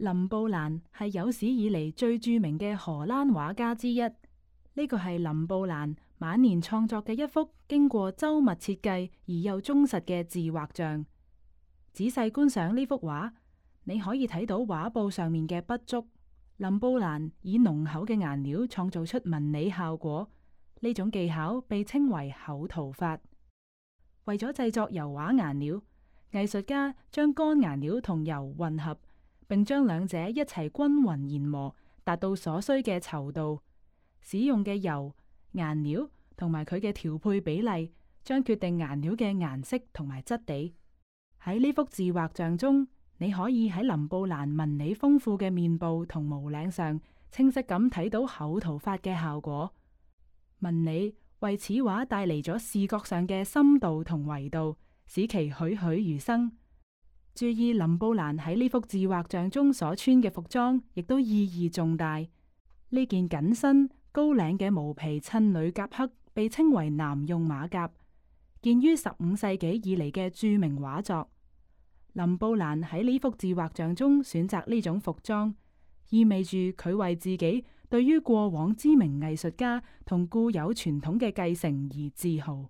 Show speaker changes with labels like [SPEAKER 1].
[SPEAKER 1] 林布蘭係有史以嚟最著名嘅荷蘭畫家之一。呢個係林布蘭晚年創作嘅一幅經過周密設計而又忠實嘅自畫像。仔細觀賞呢幅畫，你可以睇到畫布上面嘅筆觸。林布蘭以濃厚嘅顏料創造出紋理效果，呢種技巧被稱為厚塗法。為咗製作油畫顏料，藝術家將乾顏料同油混合，並將兩者一齊均勻研磨，達到所需嘅稠度。使用嘅油、顏料同埋佢嘅調配比例，將決定顏料嘅顏色同埋質地。喺呢幅自畫像中，你可以喺林布蘭紋理豐富嘅面部同毛領上，清晰咁睇到厚塗法嘅效果。紋理為此畫帶嚟咗視覺上嘅深度同維度，使其栩栩如生。注意林布蘭喺呢幅自畫像中所穿嘅服裝，亦都意義重大。呢件緊身高領嘅毛皮襯裏夾克被稱為男用馬甲，見於15世紀以嚟嘅著名畫作。林布蘭喺呢幅自畫像中選擇呢種服裝，意味住佢為自己對於過往知名藝術家同固有傳統嘅繼承而自豪。